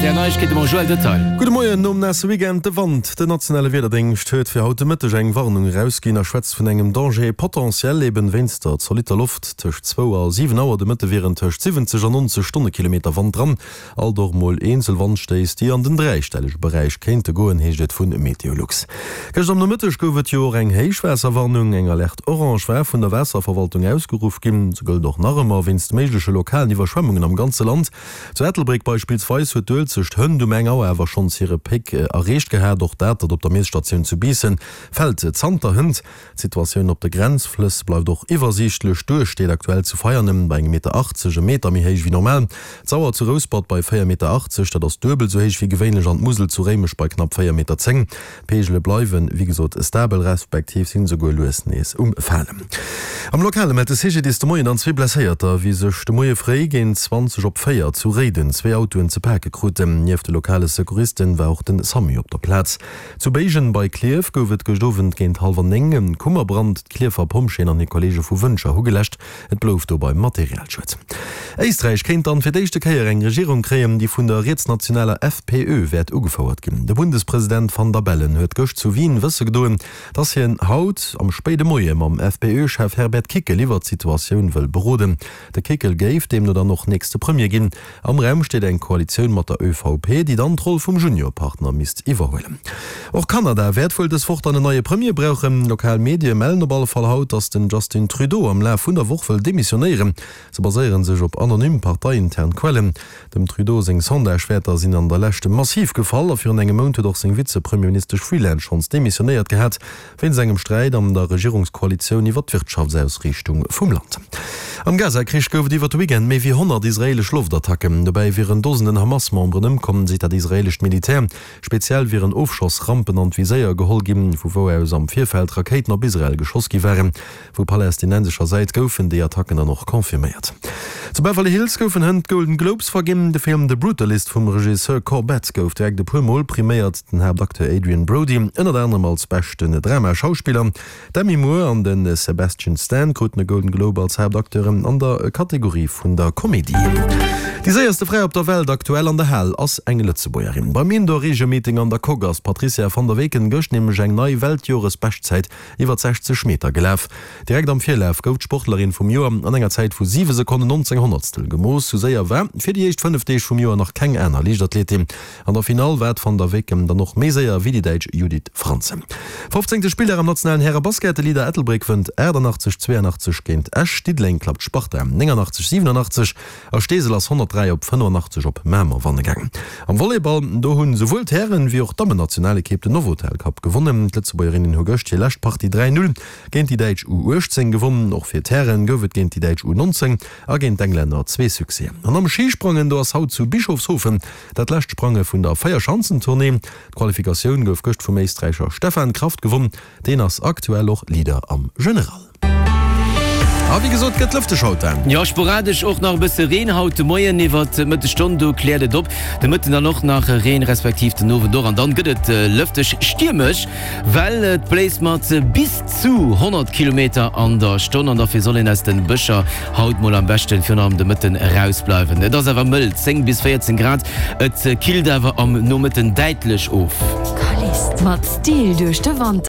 Är Neiegkeete mam Joël Detail. Gudde Moien, Nom naasse Weekend de Wand. Den nationale Wiederdéngscht huet fir haut de Mëtteg eng Warnung erausginn a schwätzt vun engem Danger potentiel, eben wéinst der zolitter Loft. Tëscht zwou a 7 Auer de Mëtte wieren tëscht 70 an 90 Stonnekilometer Wand dran. Alt och mol eenzel Wandstéiss, déi an den dräistellege Beräich kéinte goen, heescht et vu Meteolux. Gëschter am Nomëtteg gouf et jo och eng Héichwaasserwarnung. Eng Alerte orange war vun der Waasserverwaltung ausgeruff ginn. Se gëllt och nach ëmmer wéinst méigleche lokalen Iwwerschwemmungen am ganze Land. Zu Ettelbréck beispillsweis huet d'Uelzecht hënt um eng Auer awer schonns hire Pic erreecht gehat. Och dat op der Miesstatioun zu Biissen fält zanter hënt. D'Situatioun op de Grenzflëss bleift och iwwersiichtlech. D'Duer steet aktuell zu Veianen bei engem Meter 80, e Meter méi héich wéi normal. D'Sauer zu Rouspert bei 4 Meter 80, dat ass duebel esou héich wéi gewéinlech an d'Musel zu Réimech bei knapp 4 Meter 10. D'Peegele bleiwen, wéi gesot, stabel, respektiv sinn esouguer lues nees um Falen. Am Lokale mellt de CGDIS de Moien dann zwee Blesséierter, wéi sech de Moie fréi géint 20 op 4 zu Réiden zwee Autoen ze pake kruten. Nieft de lokale Secouristen war och den Samu op der Plaz. Zu Béigen bei Klierf gouf et gëscht Owend géint hallwer 9 en Kummerbrand. D'Klierfer Pompjeeën an hir Kolleege vu Wëntger hu geläscht. Et blouf dobei Materialschued. Éisträich kéint dann fir d'éischte Kéier eng Regierung kréien, déi vun der rietsnationaler FPÖ wäert ugefouert ginn. De Bundespresident Van der Bellen huet gëscht zu Wien wësse gedoen, dass hien haut am spéide Moie mam FPÖ-Chef Herbert Kickl iwwert d'Situatioun wëll beroden. De Kickl géif deemno dann och nächste Premier ginn. Am Raum steet eng Koalitioun mat der ÖVP, déi dann d'Roll vum Juniorpartner misst iwwerhuelen. Och Kanada wäert wuel dës Woch dann en neie Premier brauchen. Lokal Medie mellen op alle Fall haut, datt den Justin Trudeau am Laf vun der Woch wëll demissionéieren. Se baséiere sech op anonym parteiintern Quellen. Dem Trudeau seng Sondagewäerter sinn an der Leschte massiv gefall a virun engem Mount huet och seng Vizepremierministesch Freeland schonns demissionéiert gehat. Wéinst engem Sträit an der Regierungskoalitioun iwwer d'Wirtschaftsausriichtung vum Land. Am Gaza-Krich gouf et iwwer de Weekend méi wéi 100 israeelesch Loftattacken. Dobäi wieren Dosenden Hamas-Memberen ëmkomm, seet dat israeelescht Militär. Speziell wieren Ofschossrampen an d'Viséier geholl ginn, vu wou aus am Virfeld Rakéiten op Israel geschoss gi waren. Vu palästinensescher Säit goufen déi Attacken dann och confirméiert. Zu Beverly Hills goufen hënt d'Golden Globes verginn. De Film The Brutalist vum Regisseur Corbett gouf direkt e puer Mol priméiert. Den Haaptacteur Adrien Brody ënnert anerem als beschten Drama-Schauspiller. D'Demi Moore an de Sebastian Stan kruten e Golden Globe als Haaptacteuren an der Kategorie vun der Komedie. Déi séierste Fra op der Welt aktuell an der Hal ass eng Lëtzebuergerin. Beim Indoor-Regio-Meeting an der Coque ass d'Patricia van der Weken gëscht nämlech eng nei Weltjoresbeschtzäit iwwer 60 Meter gelaf. Direkt am Virlaf gouf d'Sportlerin vum Joer an enger Zäit vu 7 Sekonnen 19 Honnertstel gemooss. Sou séier war fir déi éischt 5 Deeg vum Joer nach keng aner Liichtathletin. An der Finall war d'Van der Weken dann och méi séier wéi déi Däitsch Judith Franzen. Fofzéngte Spilldag am nationalen Härebasket, De Leader Ettelbréck wënnt 88, 82 géint Esch. Diddeleng klappt d'Sparta 89, 87. A Steesel ass 103 op 85 op Mamer wanne gaangen. Am Volleyball, do hunn souwuel d'Hären wéi och d'Dammennationalekipp den Novotel Cup gewonnen. D'Lëtzebuergerinnen hu gëscht hir lescht Partie 3, 0 géint déi däitsch U 18 gewonnen. Och fir d'Hären gouf et géint déi däitsch U 19 a géint d'Englänner zwee Succèsen. An am Schisprangen, do ass haut zu Bischofshofen dat lescht Sprange vun der Véierschanzentournée. D'Qualifikatioun gouf gëscht vum Éisträicher Stefan Kraft gewonn. Deen ass aktuell och Leader am General. A wéi gesot, gëtt lëfteg haut, Dan. Jo, sporadesch och nach e bësse Reen haut de Moien. Iwwert d'Mëttesstonn do kläert et op. De Mëtten dann och nach Reen, respektiv den Owend och. An dann gëtt et lëfteg stiermesch, well et bléist mat bis zu 100 Kilometer an der Stonn. An dofir soll een aus de Bëscher haut mol am beschten virun allem de Mëtten erausbleiwen. Et ass awer mëll, 10 bis 14 Grad, et killt awer am Nomëtten däitlech of. Mat Stil duerch de Wanter.